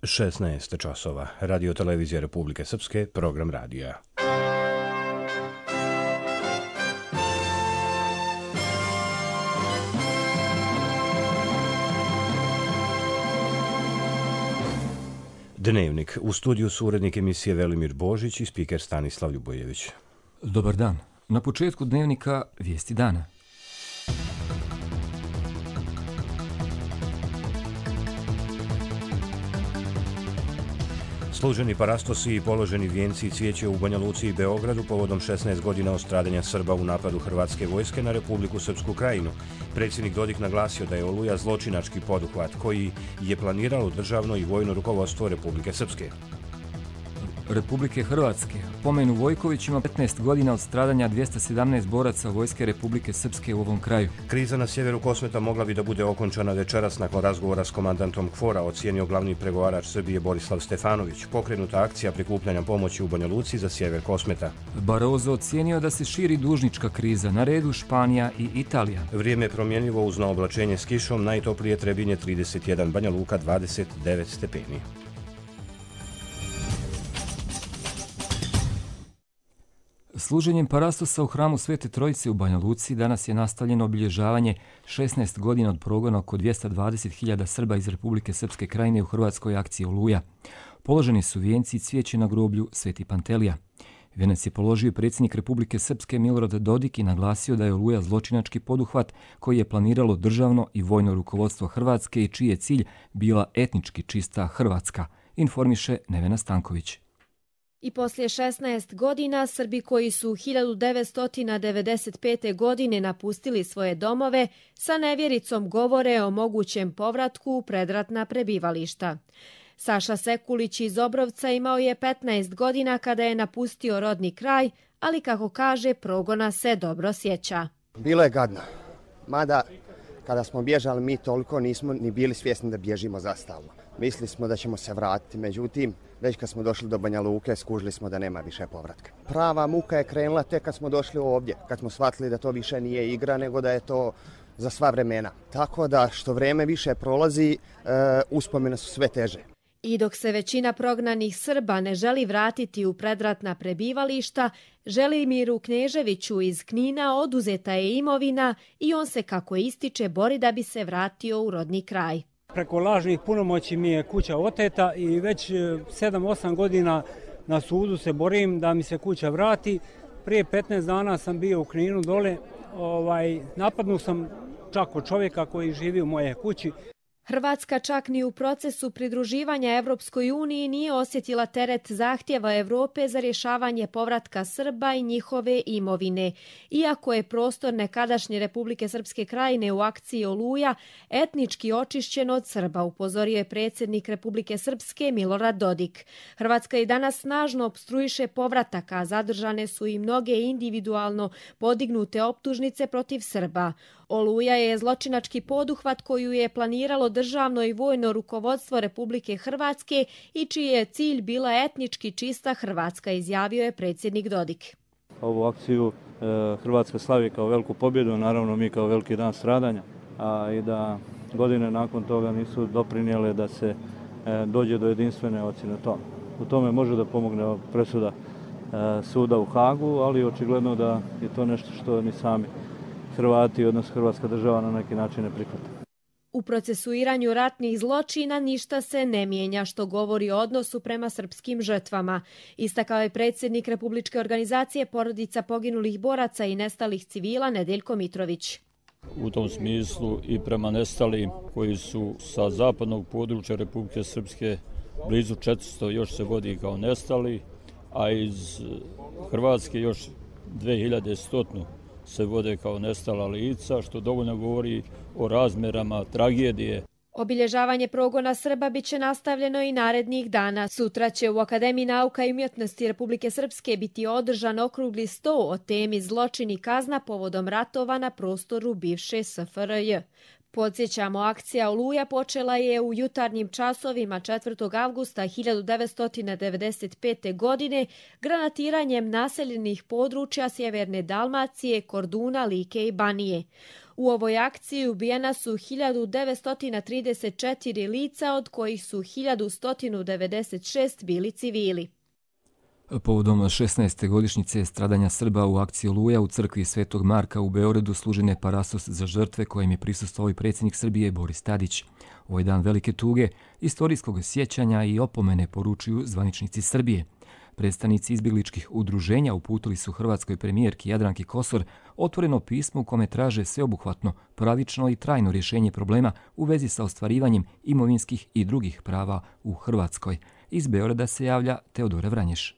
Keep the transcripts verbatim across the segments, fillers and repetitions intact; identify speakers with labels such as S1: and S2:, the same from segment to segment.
S1: šesnaest časova. Radio televizija Republike Srpske, program radija. Dnevnik. U studiju su urednik emisije Velimir Božić i spiker Stanislav Ljubojević.
S2: Dobar dan. Na početku dnevnika vijesti dana.
S1: Služeni parastosi i položeni vijenci i cvijeće u Banja Luci i Beogradu povodom šesnaest godina od stradanja Srba u napadu Hrvatske vojske na Republiku Srpsku Krajinu. Predsjednik Dodik naglasio da je Oluja zločinački poduhvat koji je planiralo državno i vojno rukovodstvo Republike Srpske.
S2: Republike Hrvatske. Pomenu Vojković ima petnaest godina od stradanja dvjesto sedamnaest boraca vojske Republike Srpske u ovom kraju.
S1: Kriza na sjeveru Kosmeta mogla bi da bude okončana večeras nakon razgovora s komandantom KFOR-a, ocijenio glavni pregovarač Srbije Borislav Stefanović. Pokrenuta akcija prikupljanja pomoći u Banja Luci za sjever Kosmeta.
S2: Barroso ocijenio da se širi dužnička kriza, na redu Španija i Italija.
S1: Vrijeme je promjenjivo uz naoblačenje s kišom, najtoplije Trebinje trideset jedan, Banja Luka dvadeset devet stepeni.
S2: Služenjem parastosa u hramu Svete Trojice u Banja Luci danas je nastavljeno obilježavanje šesnaest godina od progona oko dvjesto dvadeset hiljada Srba iz Republike Srpske Krajine u hrvatskoj akciji Oluja. Položeni su vijenci i cvijeće na groblju Sveti Pantelija. Vijenac je položio predsjednik Republike Srpske Milorad Dodik i naglasio da je Oluja zločinački poduhvat koji je planiralo državno i vojno rukovodstvo Hrvatske i čiji je cilj bila etnički čista Hrvatska, informiše Nevena Stanković.
S3: I poslije šesnaest godina Srbi koji su hiljadu devetsto devedeset pete. godine napustili svoje domove sa nevjericom govore o mogućem povratku u predratna prebivališta. Saša Sekulić iz Obrovca imao je petnaest godina kada je napustio rodni kraj, ali kako kaže, progona se dobro sjeća.
S4: Bilo je gadno, mada kada smo bježali mi toliko nismo ni bili svjesni da bježimo zastalno. Mislili smo da ćemo se vratiti, međutim, već kad smo došli do Banja Luke, skužili smo da nema više povratka. Prava muka je krenula tek kad smo došli ovdje, kad smo shvatili da to više nije igra, nego da je to za sva vremena. Tako da što vrijeme više prolazi, e, uspomene su sve teže.
S3: I dok se većina prognanih Srba ne želi vratiti u predratna prebivališta, Želimiru Kneževiću iz Knina oduzeta je imovina i on se, kako ističe, bori da bi se vratio u rodni kraj.
S5: Preko lažnih punomoći mi je kuća oteta i već sedam osam godina na sudu se borim da mi se kuća vrati. Prije petnaest dana sam bio u Kninu dole, ovaj, napadnuo sam čak od čovjeka koji živi u moje kući.
S3: Hrvatska čak ni u procesu pridruživanja Evropskoj uniji nije osjetila teret zahtjeva Europe za rješavanje povratka Srba i njihove imovine. Iako je prostor nekadašnje Republike Srpske Krajine u akciji Oluja etnički očišćen od Srba, upozorio je predsjednik Republike Srpske Milorad Dodik. Hrvatska i danas snažno opstruiše povratak, a zadržane su i mnoge individualno podignute optužnice protiv Srba. Oluja je zločinački poduhvat koju je planiralo državno i vojno rukovodstvo Republike Hrvatske i čiji je cilj bila etnički čista Hrvatska, izjavio je predsjednik Dodik.
S6: Ovu akciju e, Hrvatska slavi kao veliku pobjedu, naravno mi kao veliki dan stradanja, a i da godine nakon toga nisu doprinijele da se e, dođe do jedinstvene ocjene tome. U tome može da pomogne presuda e, suda u Hagu, ali očigledno da je to nešto što ni sami Hrvati, odnosno Hrvatska država, na neki način ne prihvata.
S3: U procesuiranju ratnih zločina ništa se ne mijenja, što govori o odnosu prema srpskim žrtvama. Istakao je predsjednik Republičke organizacije porodica poginulih boraca i nestalih civila Nedeljko Mitrović.
S7: U tom smislu i prema nestalim koji su sa zapadnog područja Republike Srpske blizu četiristo još se vodi kao nestali, a iz Hrvatske još dvije hiljade sto se vode kao nestala lica, što dovoljno govori o razmjerama tragedije.
S3: Obilježavanje progona Srba bit će nastavljeno i narednih dana. Sutra će u Akademiji nauka i umjetnosti Republike Srpske biti održan okrugli sto o temi zločin i kazna povodom ratova na prostoru bivše S F R J. Podsjećamo, akcija Oluja počela je u jutarnjim časovima četvrtog avgusta hiljadu devetsto devedeset pete. godine granatiranjem naseljenih područja sjeverne Dalmacije, Korduna, Like i Banije. U ovoj akciji ubijena su hiljadu devetsto trideset četiri lica, od kojih su hiljadu sto devedeset šest bili civili.
S2: Povodom šesnaeste godišnjice stradanja Srba u akciji Oluja u crkvi Svetog Marka u Beogradu služen je parasos za žrtve kojem je prisustvovao i predsjednik Srbije Boris Tadić. Ovo je dan velike tuge, istorijskog sjećanja i opomene, poručuju zvaničnici Srbije. Predstavnici izbjegličkih udruženja uputili su hrvatskoj premijerki Jadranki Kosor otvoreno pismo u kome traže sveobuhvatno, pravično i trajno rješenje problema u vezi sa ostvarivanjem imovinskih i drugih prava u Hrvatskoj. Iz Beograda se javlja Teodora Vranješ.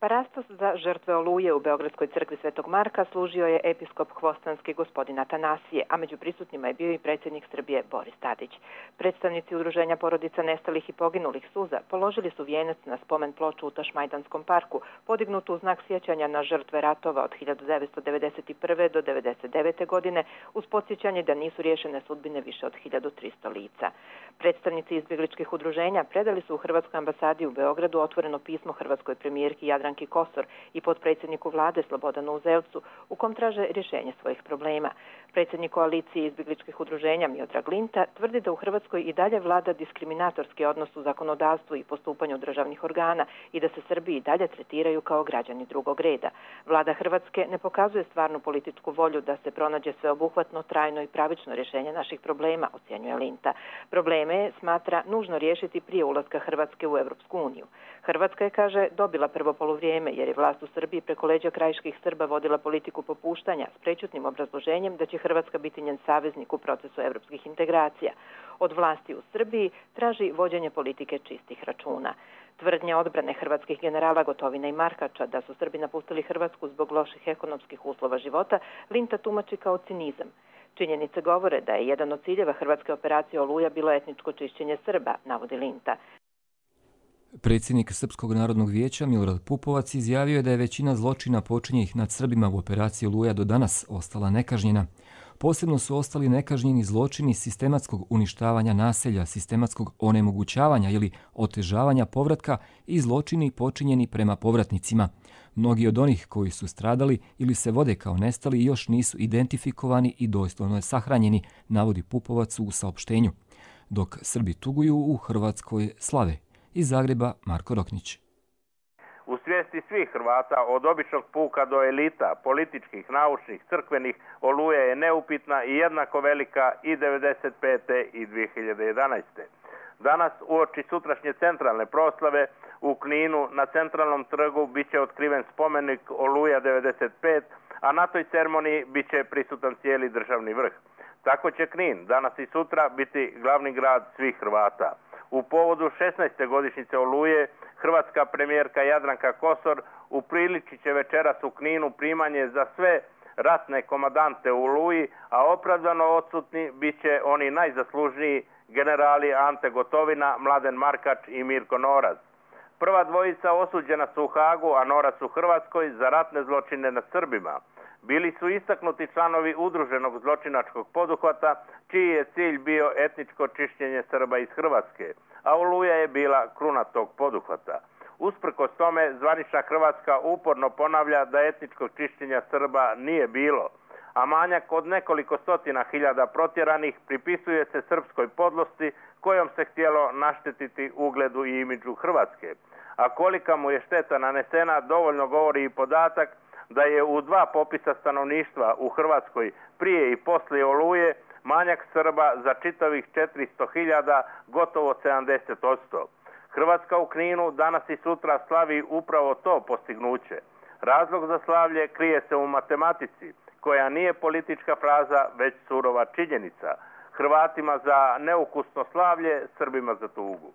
S8: Parastos za žrtve Oluje u Beogradskoj crkvi Svetog Marka služio je episkop hvostanski gospodin Atanasije, a među prisutnima je bio i predsjednik Srbije Boris Tadić. Predstavnici udruženja porodica nestalih i poginulih suza položili su vijenac na spomen ploču u Tašmajdanskom parku, podignutu u znak sjećanja na žrtve ratova od hiljadu devetsto devedeset prve. do devedeset devete. godine, uz podsjećanje da nisu riješene sudbine više od hiljadu tristo lica. Predstavnici izbjegličkih udruženja predali su u Hrvatskoj ambasadi u Beogradu otvoreno pismo hrvatskoj premijerki Jadranki Kosor i potpredsjedniku vlade Slobodanu Uzelcu, u kom traže rješenje svojih problema. Predsjednik koalicije izbjegličkih udruženja Miodrag Linta tvrdi da u Hrvatskoj i dalje vlada diskriminatorski odnos u zakonodavstvu i postupanju državnih organa i da se Srbi i dalje tretiraju kao građani drugog reda. Vlada Hrvatske ne pokazuje stvarnu političku volju da se pronađe sveobuhvatno, trajno i pravično rješenje naših problema, ocjenjuje Linta. Probleme smatra nužno riješiti prije ulaska Hrvatske u Europsku uniju. Hrvatska je, kaže, dobila prvo poluvrijeme jer je vlast u Srbiji preko leđa krajiških Srba vodila politiku popuštanja s prečutnim obrazloženjem da će Hrvatska biti njen saveznik u procesu evropskih integracija. Od vlasti u Srbiji traži vođenje politike čistih računa. Tvrdnja odbrane hrvatskih generala Gotovine i Markača da su Srbi napustili Hrvatsku zbog loših ekonomskih uslova života Linta tumači kao cinizam. Činjenice govore da je jedan od ciljeva hrvatske operacije Oluja bilo etničko čišćenje Srba, navodi Linta.
S2: Predsjednik Srpskog narodnog vijeća Milorad Pupovac izjavio je da je većina zločina počinjenih nad Srbima u operaciji Oluja do danas ostala nekažnjena. Posebno su ostali nekažnjeni zločini sistematskog uništavanja naselja, sistematskog onemogućavanja ili otežavanja povratka i zločini počinjeni prema povratnicima. Mnogi od onih koji su stradali ili se vode kao nestali još nisu identifikovani i dostojno sahranjeni, navodi Pupovac u saopštenju. Dok Srbi tuguju, u Hrvatskoj slave. Iz Zagreba Marko Roknić.
S9: U svijesti svih Hrvata, od običnog puka do elita, političkih, naučnih, crkvenih, Oluja je neupitna i jednako velika i devedeset pete i dvije hiljade jedanaeste. Danas, uoči sutrašnje centralne proslave, u Kninu na centralnom trgu bit će otkriven spomenik Oluja devedeset pet, a na toj ceremoniji bit će prisutan cijeli državni vrh. Tako će Knin danas i sutra biti glavni grad svih Hrvata. U povodu šesnaeste godišnjice Oluje, hrvatska premijerka Jadranka Kosor upriličit će večeras u Kninu primanje za sve ratne komadante u Oluji, a opravdano odsutni bit će oni najzaslužniji generali Ante Gotovina, Mladen Markač i Mirko Noraz. Prva dvojica osuđena su u Hagu, a Noraz u Hrvatskoj za ratne zločine nad Srbima. Bili su istaknuti članovi udruženog zločinačkog poduhvata, čiji je cilj bio etničko čišćenje Srba iz Hrvatske, a Oluja je bila kruna tog poduhvata. Usprkos tome, zvanična Hrvatska uporno ponavlja da etničkog čišćenja Srba nije bilo, a manjak od nekoliko stotina hiljada protjeranih pripisuje se srpskoj podlosti kojom se htjelo naštetiti ugledu i imidžu Hrvatske. A kolika mu je šteta nanesena dovoljno govori i podatak da je u dva popisa stanovništva u Hrvatskoj prije i poslije Oluje manjak Srba za čitavih četiristo hiljada, gotovo sedamdeset posto. Hrvatska u Kninu danas i sutra slavi upravo to postignuće. Razlog za slavlje krije se u matematici, koja nije politička fraza, već surova činjenica. Hrvatima za neukusno slavlje, Srbima za tugu.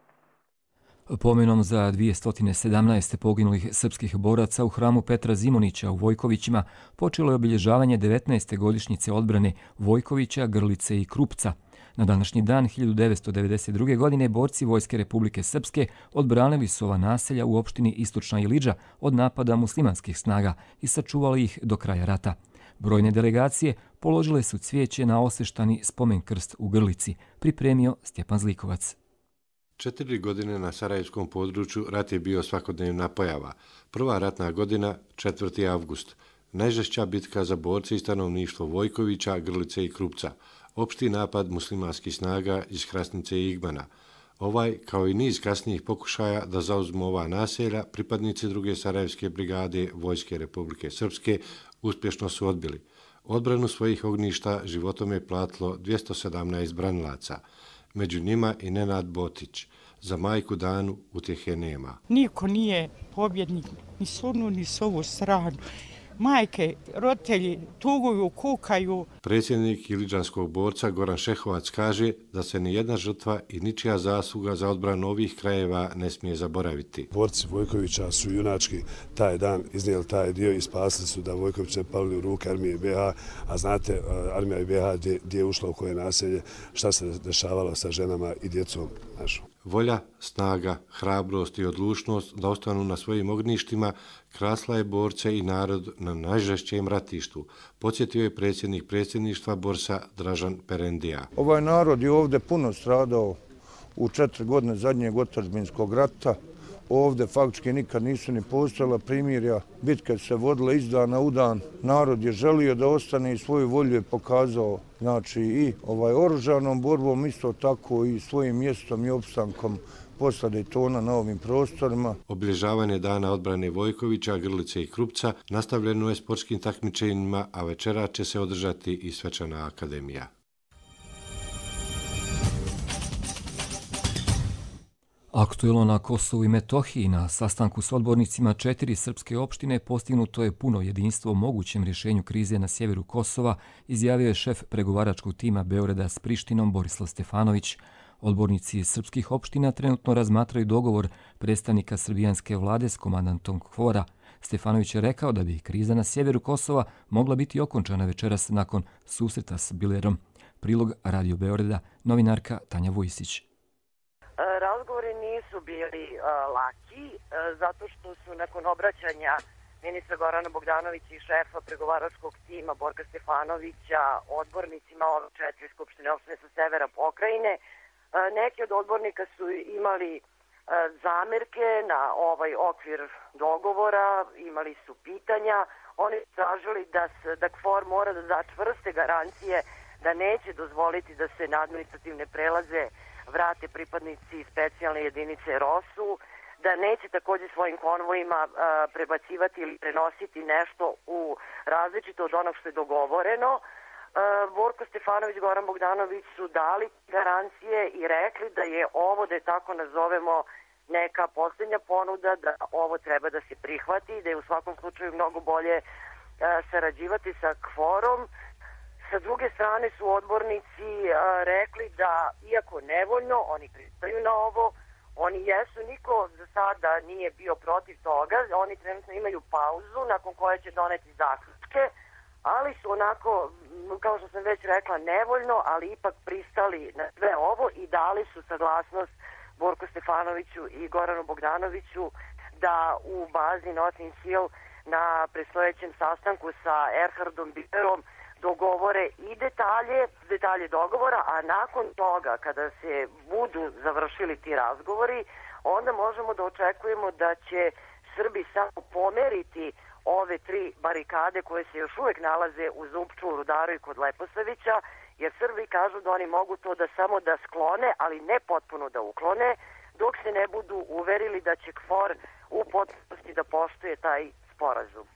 S2: Pomenom za dvjesto sedamnaest poginulih srpskih boraca u hramu Petra Zimunića u Vojkovićima počelo je obilježavanje devetnaeste godišnjice odbrane Vojkovića, Grlice i Krupca. Na današnji dan hiljadu devetsto devedeset druge. godine borci Vojske Republike Srpske odbranili su ova naselja u opštini Istočna Ilidža od napada muslimanskih snaga i sačuvali ih do kraja rata. Brojne delegacije položile su cvijeće na osveštani spomen krst u Grlici, pripremio Stjepan Zlikovac.
S10: Četiri godine na sarajevskom području rat je bio svakodnevna pojava. Prva ratna godina, četvrti avgust. Najžešća bitka za borce i stanovništvo Vojkovića, Grlice i Krupca. Opšti napad muslimanskih snaga iz Krasnice i Igmana. Ovaj, kao i niz kasnijih pokušaja da zauzmu ova naselja, pripadnici druge Sarajevske brigade Vojske Republike Srpske uspješno su odbili. Odbranu svojih ognjišta životom je platilo dvjesto sedamnaest branilaca. Među njima i Nenad Botić. Za majku Danu utjehe nema.
S11: Niko nije pobjednik, ni s onu, ni s ovu stranu. Majke, roditelji tuguju, kukaju.
S10: Predsjednik iliđanskog borca Goran Šehovac kaže da se ni jedna žrtva i ničija zasluga za odbranu ovih krajeva ne smije zaboraviti.
S12: Borci Vojkovića su junački taj dan iznijeli taj dio i spasili su da Vojković ne pali u ruke armije be ha, a znate, armija be ha gdje, gdje je ušla u koje naselje, šta se dešavalo sa ženama i djecom našom.
S10: Volja, snaga, hrabrost i odlučnost da ostanu na svojim ognjištima krasla je borce i narod na najžešćem ratištu, podsjetio je predsjednik predsjedništva Borsa Dražan Perendija.
S13: Ovaj narod je ovdje puno stradao u četiri godine zadnjeg otadžbinskog rata. Ovdje faktički nikad nisu ni postojala primirja, bitke se vodile iz dana u dan. Narod je želio da ostane i svoju volju je pokazao, znači i ovaj oružanom borbom, isto tako i svojim mjestom i opstankom posle Dejtona na ovim prostorima.
S10: Obilježavanje dana odbrane Vojkovića, Grlice i Krupca nastavljeno je sportskim takmičenjima, a večera će se održati i svečana akademija.
S2: Aktuelno na Kosovu i Metohiji na sastanku s odbornicima četiri srpske opštine postignuto je puno jedinstvo o mogućem rješenju krize na sjeveru Kosova, izjavio je šef pregovaračkog tima Beograda s Prištinom Borislav Stefanović. Odbornici srpskih opština trenutno razmatraju dogovor predstavnika srbijanske vlade s komandantom KFOR-a. Stefanović je rekao da bi kriza na sjeveru Kosova mogla biti okončana večeras nakon susreta s Bilerom. Prilog Radio Beograda, novinarka Tanja Vujisić.
S14: Razgovori nisu bili uh, laki, uh, zato što su nakon obraćanja ministra Gorana Bogdanovića i šefa pregovaračkog tima Borka Stefanovića odbornicima ove četiri skupštine opštine sa severa pokrajine, uh, neki od odbornika su imali uh, zamerke na ovaj okvir dogovora, imali su pitanja, oni su tražili da, da KFOR mora da da čvrste garancije da neće dozvoliti da se na administrativne prelaze vrate pripadnici specijalne jedinice ROSU, da neće također svojim konvojima a, prebacivati ili prenositi nešto u različito od onog što je dogovoreno. A, Borko Stefanović i Goran Bogdanović su dali garancije i rekli da je ovo, da je tako nazovemo, neka posljednja ponuda, da ovo treba da se prihvati, da je u svakom slučaju mnogo bolje a, sarađivati sa KFOR-om. Sa druge strane su odbornici a, rekli da, iako nevoljno, oni pristaju na ovo, oni jesu, niko za sada nije bio protiv toga, oni trenutno imaju pauzu nakon koje će doneti zaključke, ali su onako, kao što sam već rekla, nevoljno, ali ipak pristali na sve ovo i dali su saglasnost Borku Stefanoviću i Goranu Bogdanoviću da u bazi Notting Hill na predstojećem sastanku sa Erhardom Bilerom dogovore i detalje, detalje dogovora, a nakon toga, kada se budu završili ti razgovori, onda možemo da očekujemo da će Srbi samo pomeriti ove tri barikade koje se još uvijek nalaze u Zupču, u Rudaru i kod Leposavića, jer Srbi kažu da oni mogu to da samo da sklone, ali ne potpuno da uklone, dok se ne budu uverili da će KFOR u potpunosti da poštuje taj sporazum.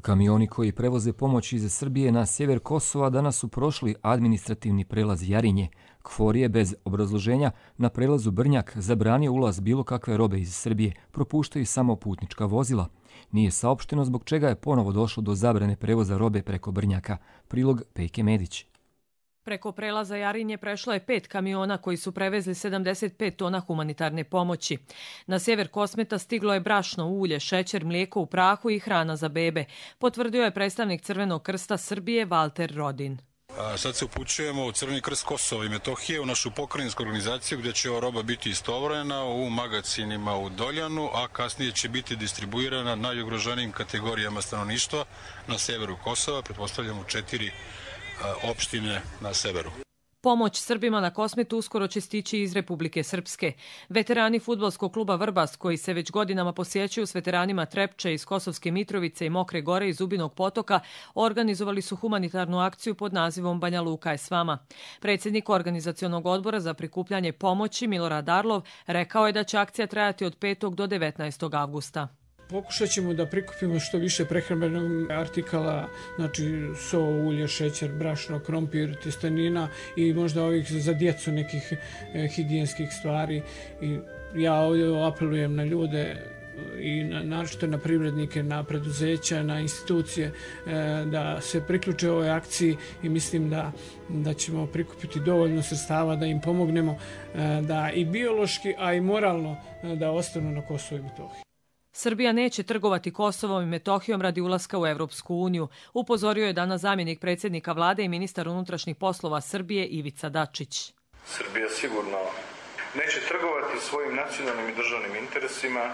S2: Kamioni koji prevoze pomoć iz Srbije na sjever Kosova danas su prošli administrativni prelaz Jarinje. KFOR je bez obrazloženja na prelazu Brnjak zabranio ulaz bilo kakve robe iz Srbije, propuštaju samo putnička vozila. Nije saopšteno zbog čega je ponovo došlo do zabrane prevoza robe preko Brnjaka. Prilog Pejke Medić.
S15: Preko prelaza Jarinje prešlo je pet kamiona koji su prevezli sedamdeset pet tona humanitarne pomoći. Na sjever Kosmeta stiglo je brašno, ulje, šećer, mlijeko u prahu i hrana za bebe, potvrdio je predstavnik Crvenog krsta Srbije Valter Rodin.
S16: Sad se upućujemo u Crveni krst Kosova i Metohije, u našu pokrajinsku organizaciju gdje će ova roba biti istovremena u magacinima u Doljanu, a kasnije će biti distribuirana najugroženijim kategorijama stanovništva na severu Kosova, pretpostavljamo u četiri opštine na severu.
S15: Pomoć Srbima na Kosmetu uskoro će stići iz Republike Srpske. Veterani fudbalskog kluba Vrbas, koji se već godinama posjećuju s veteranima Trepče iz Kosovske Mitrovice i Mokre Gore i Zubinog Potoka, organizovali su humanitarnu akciju pod nazivom Banja Luka je s vama. Predsjednik organizacionog odbora za prikupljanje pomoći Milorad Arlov rekao je da će akcija trajati od petog do devetnaestog avgusta.
S17: Pokušat ćemo da prikupimo što više prehrambenog artikala, znači so, ulje, šećer, brašno, krompir, tjestenina i možda ovih za djecu nekih e, higijenskih stvari. I ja ovdje apelujem na ljude i na, naročito na privrednike, na preduzeća, na institucije e, da se priključe ovoj akciji i mislim da, da ćemo prikupiti dovoljno sredstava da im pomognemo e, da i biološki, a i moralno e, da ostanu na Kosovu i Metohiji.
S15: Srbija neće trgovati Kosovom i Metohijom radi ulaska u Evropsku uniju, upozorio je danas zamjenik predsjednika vlade i ministar unutrašnjih poslova Srbije Ivica Dačić.
S18: Srbija sigurno neće trgovati svojim nacionalnim i državnim interesima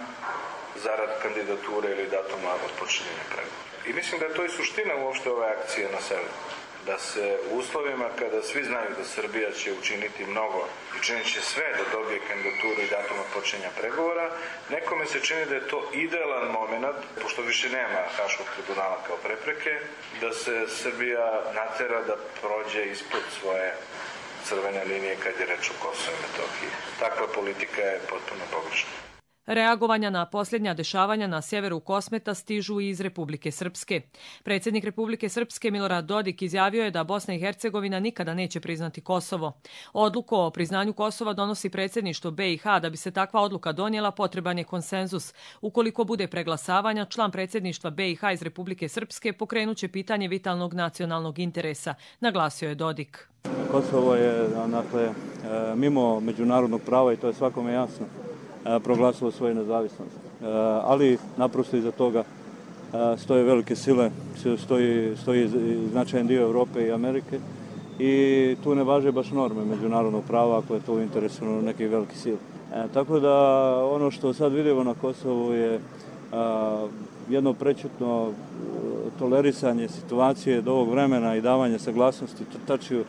S18: zarad kandidature ili datuma otpočinjenja pregovora. I mislim da je to i suština uopšte ove akcije na severu. Da se u uslovima kada svi znaju da Srbija će učiniti mnogo i činit će sve da dobije kandidaturu i datuma počinjenja pregovora, nekome se čini da je to idealan moment, pošto više nema Haškog tribunala kao prepreke, da se Srbija natera da prođe ispod svoje crvene linije kad je reč o Kosovu i Metohiji. Takva politika je potpuno pogrešna.
S15: Reagovanja na posljednja dešavanja na sjeveru Kosmeta stižu i iz Republike Srpske. Predsjednik Republike Srpske Milorad Dodik izjavio je da Bosna i Hercegovina nikada neće priznati Kosovo. Odluku o priznanju Kosova donosi predsjedništvo B i H. Da bi se takva odluka donijela, potreban je konsenzus. Ukoliko bude preglasavanja, član predsjedništva B i H iz Republike Srpske pokrenuće pitanje vitalnog nacionalnog interesa, naglasio je Dodik.
S6: Kosovo je dakle, mimo međunarodnog prava i to je svakome jasno proglasilo svoju nezavisnost. Ali naprosto iza toga stoje velike sile, stoji, stoji značajan dio Europe i Amerike i tu ne važe baš norme međunarodnog prava ako je to u interesu nekih velikih sila. Tako da ono što sad vidimo na Kosovu je jedno prečutno tolerisanje situacije do ovog vremena i davanje saglasnosti Tačiju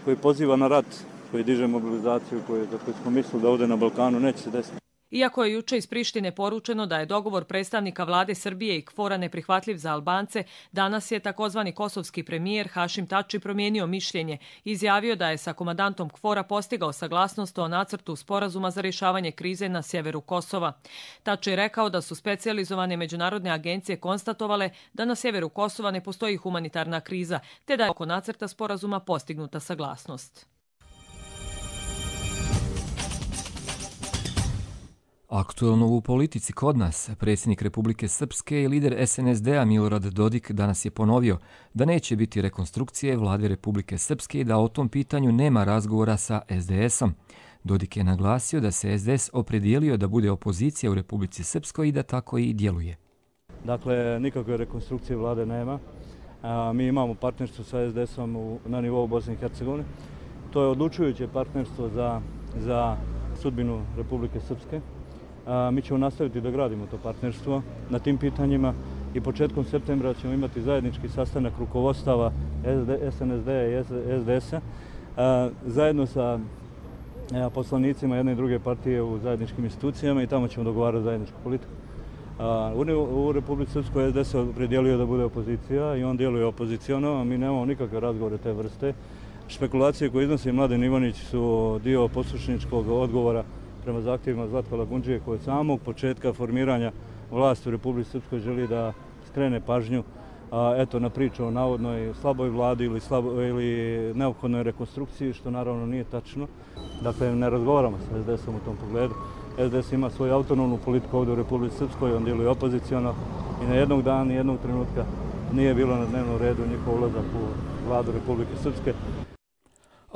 S6: koji poziva na rat, koji diže mobilizaciju koju, za koju smo mislili da ovdje na Balkanu neće se desiti.
S15: Iako je juče iz Prištine poručeno da je dogovor predstavnika vlade Srbije i KFOR-a neprihvatljiv za Albance, danas je takozvani kosovski premijer Hašim Tači promijenio mišljenje. Izjavio da je sa komandantom KFOR-a postigao saglasnost o nacrtu sporazuma za rješavanje krize na sjeveru Kosova. Tači je rekao da su specijalizovane međunarodne agencije konstatovale da na sjeveru Kosova ne postoji humanitarna kriza, te da je oko nacrta sporazuma postignuta saglasnost.
S2: Aktuelno u politici kod nas, predsjednik Republike Srpske i lider S N S D-a Milorad Dodik danas je ponovio da neće biti rekonstrukcije vlade Republike Srpske i da o tom pitanju nema razgovora sa S D S-om. Dodik je naglasio da se S D S opredijelio da bude opozicija u Republici Srpskoj i da tako i djeluje.
S6: Dakle, nikakve rekonstrukcije vlade nema. Mi imamo partnerstvo sa S D S-om na nivou Bosne i Hercegovine. To je odlučujuće partnerstvo za, za sudbinu Republike Srpske. Mi ćemo nastaviti da gradimo to partnerstvo na tim pitanjima i početkom septembra ćemo imati zajednički sastanak rukovodstava S N S D-a i S D S-a zajedno sa poslanicima jedne i druge partije u zajedničkim institucijama i tamo ćemo dogovarati zajedničku politiku. U Republici Srpskoj S D S se opredijelio da bude opozicija i on djeluje opoziciono, a mi nemamo nikakve razgovore te vrste. Špekulacije koje iznosi Mladen Ivanić su dio poslušničkog odgovora prema zahtjevima Zlatka Lagundžije koji od samog početka formiranja vlasti u Republici Srpskoj želi da skrene pažnju a, eto, na priču o navodnoj slaboj vladi ili, slabo, ili neophodnoj rekonstrukciji, što naravno nije tačno. Dakle, ne razgovaramo sa S D S-om u tom pogledu. S D S ima svoju autonomnu politiku ovdje u Republici Srpskoj, on djeluje opoziciono i na jednog dana, ni jednog trenutka nije bilo na dnevnom redu njihov ulazak u vladu Republike Srpske.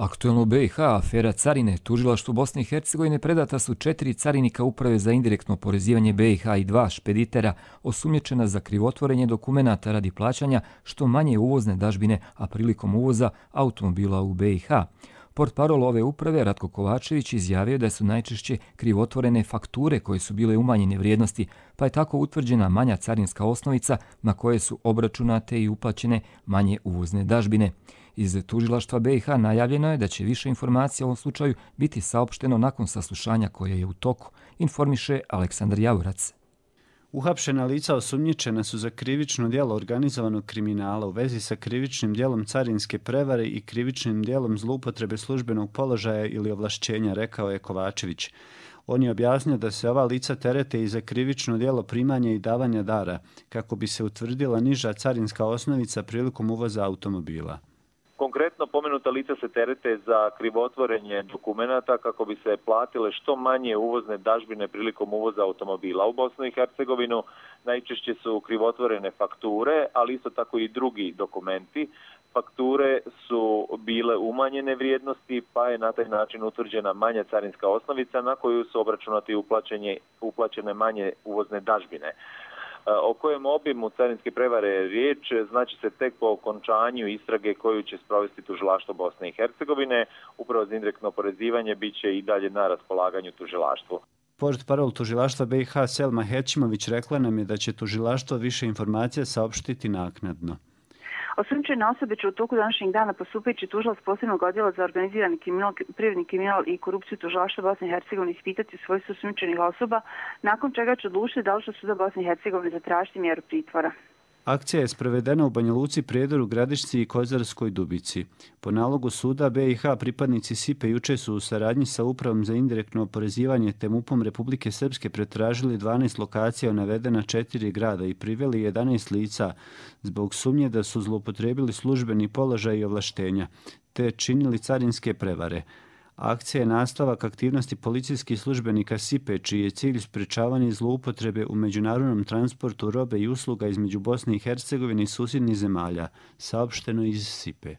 S2: Aktuelno u B i H afera carine. Tužilaštvu Bosne i Hercegovine predata su četiri carinika Uprave za indirektno oporezivanje B i H i dva špeditera osumnjičena za krivotvorenje dokumenata radi plaćanja što manje uvozne dažbine, a prilikom uvoza automobila u B i H. Portparol ove uprave Ratko Kovačević izjavio da su najčešće krivotvorene fakture koje su bile umanjene vrijednosti, pa je tako utvrđena manja carinska osnovica na koje su obračunate i uplaćene manje uvozne dažbine. Iz tužilaštva B i H najavljeno je da će više informacija o ovom slučaju biti saopšteno nakon saslušanja koje je u toku, informiše Aleksandar Javorac.
S19: Uhapšena lica osumnjičena su za krivično djelo organizovanog kriminala u vezi sa krivičnim djelom carinske prevare i krivičnim djelom zloupotrebe službenog položaja ili ovlašćenja, rekao je Kovačević. On je objasnio da se ova lica terete i za krivično djelo primanja i davanja dara, kako bi se utvrdila niža carinska osnovica prilikom uvoza automobila.
S20: Konkretno pomenuta lica se terete za krivotvorenje dokumenata kako bi se platile što manje uvozne dažbine prilikom uvoza automobila u Bosnu i Hercegovinu. Najčešće su krivotvorene fakture, ali isto tako i drugi dokumenti. Fakture su bile umanjene vrijednosti, pa je na taj način utvrđena manja carinska osnovica na koju su obračunati uplaćene manje uvozne dažbine. O kojem obimu carinske prevare je riječ, znači se tek po okončanju istrage koju će sprovesti tužilaštvo Bosne i Hercegovine. Upravo za indirektno oporezivanje bit će i dalje na raspolaganju tužilaštvu.
S19: Portparol tužilaštva B i H Selma Hećimović rekla nam je da će tužilaštvo više informacija saopštiti naknadno.
S21: Osumnjičene osobe će u toku današnjeg dana postupajući tužilac posebnog odjela za organizirani kriminal, privredni kriminal i korupciju tužilaštva Bosne i Hercegovine ispitati svojstvo osumnjičenih osoba, nakon čega će odlučiti da li će suda Bosne i Hercegovine zatražiti mjeru pritvora.
S19: Akcija je sprovedena u Banja Luci, Prijedoru, Gradišci i Kozarskoj Dubici. Po nalogu suda B i H pripadnici S I P-a juče su u saradnji sa Upravom za indirektno oporezivanje te MUP-om Republike Srpske pretražili dvanaest lokacija u navedena četiri grada i priveli jedanaest lica zbog sumnje da su zloupotrijebili službeni položaj i ovlaštenja te činili carinske prevare. Akcija je nastavak aktivnosti policijskih službenika S I P-a, čiji je cilj sprečavanje zloupotrebe u međunarodnom transportu robe i usluga između Bosne i Hercegovine i susjednih zemalja, saopšteno iz S I P-a.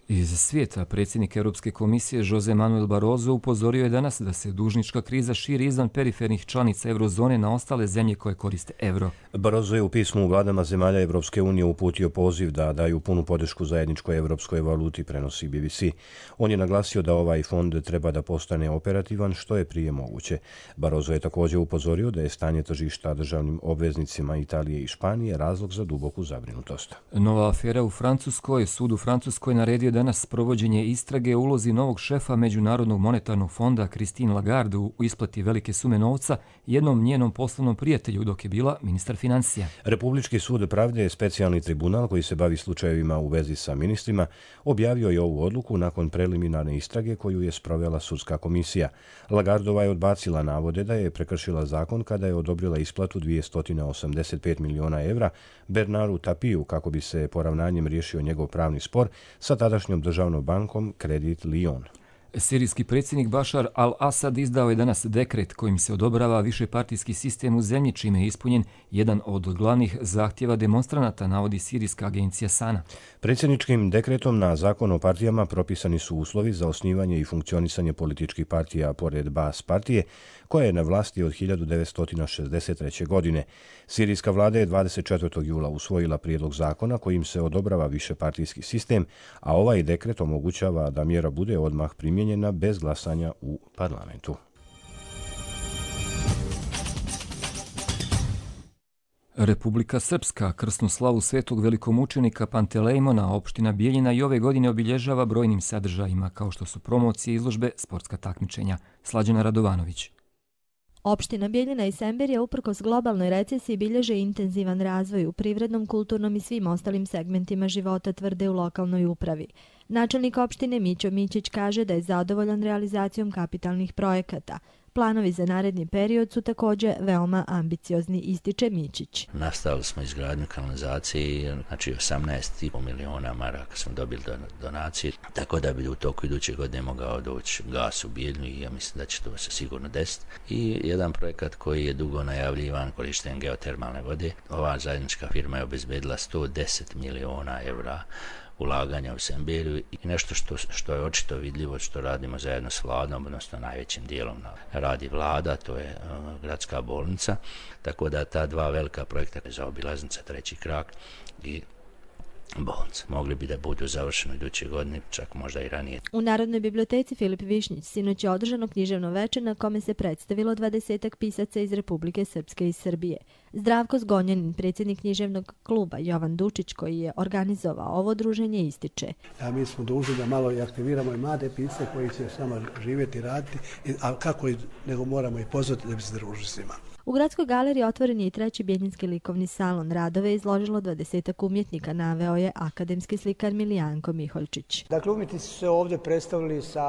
S2: Iz svijeta predsjednik Europske komisije Jose Manuel Barroso upozorio je danas da se dužnička kriza širi izvan perifernih članica eurozone na ostale zemlje koje koriste euro.
S1: Barroso je u pismu u vladama zemalja Evropske unije uputio poziv da daju punu podršku zajedničkoj evropskoj valuti, prenosi B B C. On je naglasio da ovaj fond treba da postane operativan što je prije moguće. Barroso je također upozorio da je stanje tržišta državnim obveznicima Italije i Španije razlog za duboku zabrinutost.
S2: Nova afera u Francuskoj. Sud u Francuskoj naredio danas provođenje istrage o ulozi novog šefa Međunarodnog monetarnog fonda Christine Lagarde u isplati velike sume novca jednom njenom poslovnom prijatelju dok je bila ministar financija.
S1: Republički sud pravde je specijalni tribunal koji se bavi slučajevima u vezi sa ministrima objavio je ovu odluku nakon preliminarne istrage koju je sprovela sudska komisija. Lagardova je odbacila navode da je prekršila zakon kada je odobrila isplatu dvjesto osamdeset pet miliona evra Bernardu Tapiju kako bi se poravnanjem riješio njegov pravni spor sa tadašnjom državnom bankom Credit Lyon.
S2: Sirijski predsjednik Bašar al-Assad izdao je danas dekret kojim se odobrava višepartijski sistem u zemlji, čime je ispunjen jedan od glavnih zahtjeva demonstranata, navodi sirijska agencija Sana.
S1: Predsjedničkim dekretom na zakon o partijama propisani su uslovi za osnivanje i funkcionisanje političkih partija pored Baas partije, koja je na vlasti od hiljadu devetsto šezdeset treće. godine. Sirijska vlada je dvadeset četvrtog jula usvojila prijedlog zakona kojim se odobrava višepartijski sistem, a ovaj dekret omogućava da mjera bude odmah primijenjena bez glasanja u parlamentu.
S2: Republika Srpska krsnu slavu svetog velikomučenika Pantelejmona opština Bijeljina i ove godine obilježava brojnim sadržajima kao što su promocije, izložbe, sportska takmičenja. Slađana Radovanović.
S22: Opština Bijeljina i Semberija uprkos globalnoj recesiji bilježe intenzivan razvoj u privrednom, kulturnom i svim ostalim segmentima života, tvrde u lokalnoj upravi. Načelnik opštine Mićo Mićić kaže da je zadovoljan realizacijom kapitalnih projekata. Planovi za naredni period su također veoma ambiciozni, ističe Mićić.
S23: Nastavili smo izgradnju kanalizacije, znači osamnaest i pol miliona maraka smo dobili donacije, tako da bi u toku iduće godine mogao doći gas u Bijeljinu i ja mislim da će to se sigurno desiti. I jedan projekat koji je dugo najavljivan, korištenjem geotermalne vode. Ova zajednička firma je obezbedila sto deset miliona evra ulaganja u Semberiju i nešto što, što je očito vidljivo, što radimo zajedno s vladom, odnosno najvećim dijelom radi vlada, to je uh, gradska bolnica, tako da ta dva velika projekta za obilaznica treći krak i bolnica mogli bi da budu završeni iduće godine, čak možda i ranije.
S22: U Narodnoj biblioteci Filip Višnjić sinoć je održano književno večer na kome se predstavilo dvadesetak pisaca iz Republike Srpske i Srbije. Zdravko Zgonjanin, predsjednik književnog kluba Jovan Dučić, koji je organizovao ovo druženje, ističe.
S4: A mi smo dužni da malo i aktiviramo i mlade pisce koji će sama živjeti i raditi, a kako i, nego moramo i pozvati da bi se družili s njima.
S22: U Gradskoj galeriji otvoren je i treći Bijeljinski likovni salon. Radove je izložilo dvadesetak umjetnika, naveo je akademski slikar Milijanko Miholjčić.
S5: Dakle, umjetnici su se ovdje predstavili sa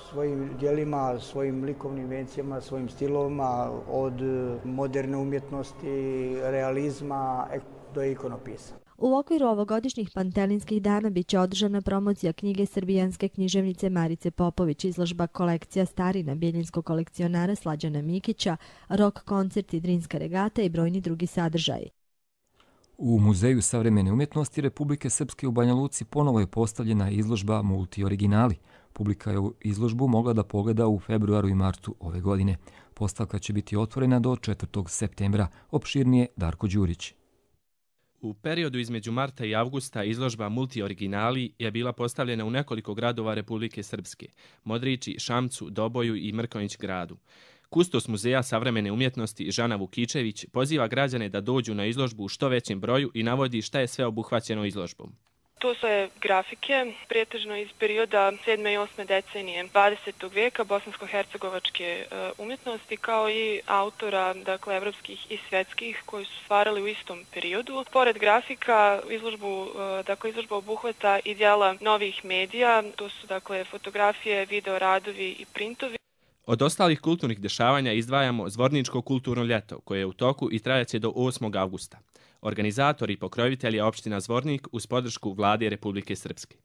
S5: svojim djelima, svojim likovnim invencijama, svojim stilovima, od moderne umjetnosti, realizma do ikonopisa.
S22: U okviru ovogodišnjih Pantelinskih dana bit će održana promocija knjige srbijanske književnice Marice Popović, izložba kolekcija starina bijeljinskog kolekcionara Slađana Mikića, rok koncert i drinska regata i brojni drugi sadržaji.
S2: U Muzeju savremene umjetnosti Republike Srpske u Banja Luci ponovo je postavljena izložba Multioriginali. Publika je izložbu mogla da pogleda u februaru i martu ove godine. Postavka će biti otvorena do četvrtog septembra. Opširnije Darko Đurić.
S7: U periodu između marta i avgusta izložba Multioriginali je bila postavljena u nekoliko gradova Republike Srpske, Modrići, Šamcu, Doboju i Mrkonjić gradu. Kustos Muzeja savremene umjetnosti Žana Vukičević poziva građane da dođu na izložbu u što većem broju i navodi šta je sve obuhvaćeno izložbom.
S24: To su grafike, pretežno iz perioda sedme i osme decenije dvadesetog vijeka bosansko-hercegovačke umjetnosti, kao i autora, dakle, evropskih i svjetskih koji su stvarali u istom periodu. Pored grafika, izložbu, dakle, izložba obuhvata i djela novih medija, to su, dakle, fotografije, video radovi i printovi.
S7: Od ostalih kulturnih dešavanja izdvajamo Zvorničko kulturno ljeto, koje je u toku i trajaće do osmog avgusta. Organizator i pokrovitelj je opština Zvornik uz podršku Vlade Republike Srpske.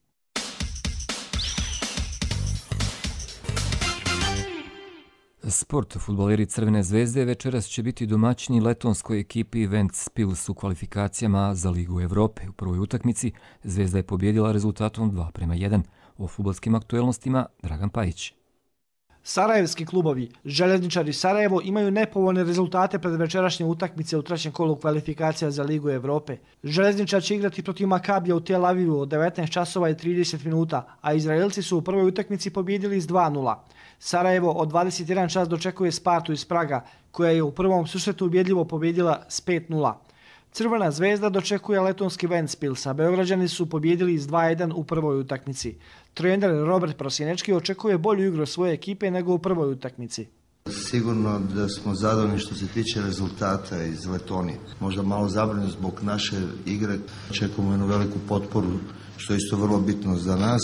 S2: Sport. Fudbaleri Crvene zvezde večeras će biti domaćini letonskoj ekipi Ventspils u kvalifikacijama za Ligu Evrope. U prvoj utakmici Zvezda je pobjedila rezultatom dva prema jedan. O fudbalskim aktuelnostima Dragan Pajić.
S25: Sarajevski klubovi Željezničari Sarajevo imaju nepovoljne rezultate pred večerašnje utakmice u trećem kolu kvalifikacija za Ligu Evrope. Željezničar će igrati protiv Makabija u Tel Avivu od devetnaest časova i trideset minuta, a Izraelci su u prvoj utakmici pobjedili s dva nula. Sarajevo od dvadeset jedan čas dočekuje Spartu iz Praga, koja je u prvom susretu ubjedljivo pobjedila s pet nula. Crvena zvezda dočekuje letonski Ventspils, a Beograđani su pobjedili s dva jedan u prvoj utakmici. Trener Robert Prosjenečki očekuje bolju igru svoje ekipe nego u prvoj utakmici.
S26: Sigurno da smo zadovoljni što se tiče rezultata iz Letonije. Možda malo zabrinut zbog naše igre. Očekujemo jednu veliku potporu, što je isto vrlo bitno za nas.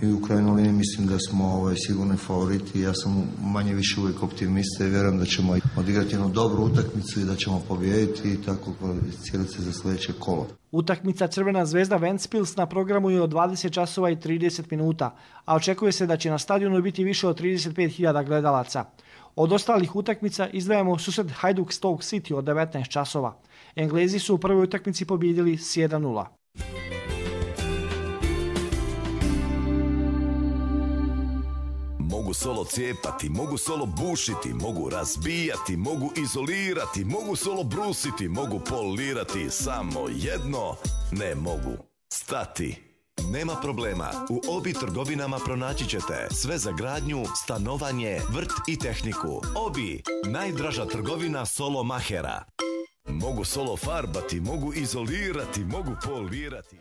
S26: I u krajnjoj liniji mislim da smo ovaj, sigurni favoriti. Ja sam manje više uvijek optimista i vjerujem da ćemo odigrati jednu dobru utakmicu i da ćemo pobijediti i tako kvalificirati se za sljedeće kolo.
S25: Utakmica Crvena zvezda Ventspils na programu je od dvadeset časova i trideset minuta, a očekuje se da će na stadionu biti više od trideset pet hiljada gledalaca. Od ostalih utakmica izdvajamo susret Hajduk Stoke City od devetnaest časova. Englezi su u prvoj utakmici pobjedili s jedan nula.
S27: Mogu solo cijepati, mogu solo bušiti, mogu razbijati, mogu izolirati, mogu solo brusiti, mogu polirati, samo jedno ne mogu stati. Nema problema, u Obi trgovinama pronaći ćete sve za gradnju, stanovanje, vrt i tehniku. Obi, najdraža trgovina solo mahera. Mogu solo farbati, mogu izolirati, mogu polirati.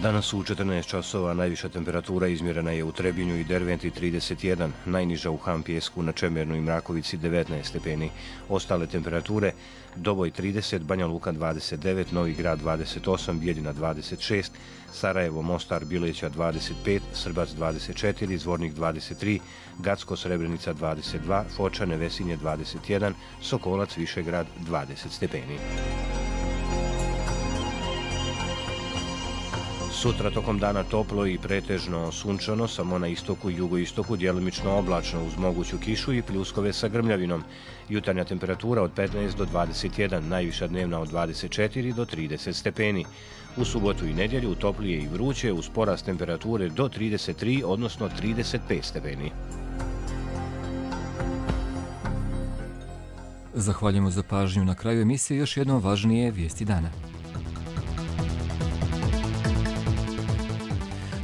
S1: Danas u četrnaest časova najviša temperatura izmjerena je u Trebinju i Derventi trideset jedan, najniža u Hampjesku, na Čemernu i Mrakovici devetnaest stepeni. Ostale temperature: Doboj trideset, Banja Luka dvadeset devet, Novi Grad dvadeset osam, Bijeljina dvadeset šest, Sarajevo, Mostar, Bileća dvadeset pet, Srbac dvadeset četiri, Zvornik dvadeset tri, Gacko, Srebrenica dvadeset dva, Foča, Nevesinje dvadeset jedan, Sokolac, Višegrad dvadeset stepeni. Sutra tokom dana toplo i pretežno sunčano, samo na istoku i jugoistoku djelomično oblačno uz moguću kišu i pljuskove sa grmljavinom. Jutarnja temperatura od petnaest do dvadeset jedan, najviša dnevna od dvadeset četiri do trideset stepeni. U subotu i nedjelju toplije i vruće uz porast temperature do trideset tri, odnosno trideset pet stepeni.
S2: Zahvaljujemo za pažnju. Na kraju emisije još jednom važnije vijesti dana.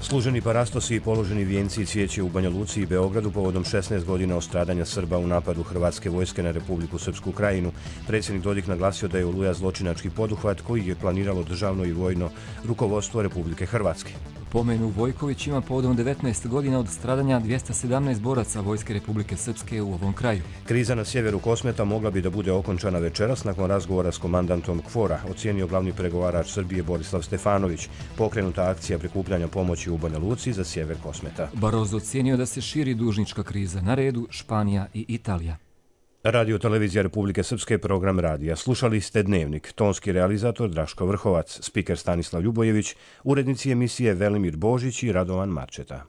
S1: Služeni parastosi i položeni vijenci i cvijeće u Banja Luci i Beogradu povodom šesnaest godina od stradanja Srba u napadu hrvatske vojske na Republiku Srpsku Krajinu. Predsjednik Dodik naglasio da je Oluja zločinački poduhvat koji je planiralo državno i vojno rukovodstvo Republike Hrvatske.
S2: Pomenu Vojković ima povodom devetnaest godina od stradanja dvjesto sedamnaest boraca Vojske Republike Srpske u ovom kraju.
S1: Kriza na sjeveru Kosmeta mogla bi da bude okončana večeras nakon razgovora s komandantom KFOR-a, ocijenio glavni pregovarač Srbije Borislav Stefanović. Pokrenuta akcija prikupljanja pomoći u Banja Luci za sjever Kosmeta.
S2: Barozo ocijenio da se širi dužnička kriza. Na redu Španija i Italija.
S1: Radio Televizija Republike Srpske, program radija. Slušali ste Dnevnik. Tonski realizator Draško Vrhovac, spiker Stanislav Ljubojević, urednici emisije Velimir Božić i Radovan Marčeta.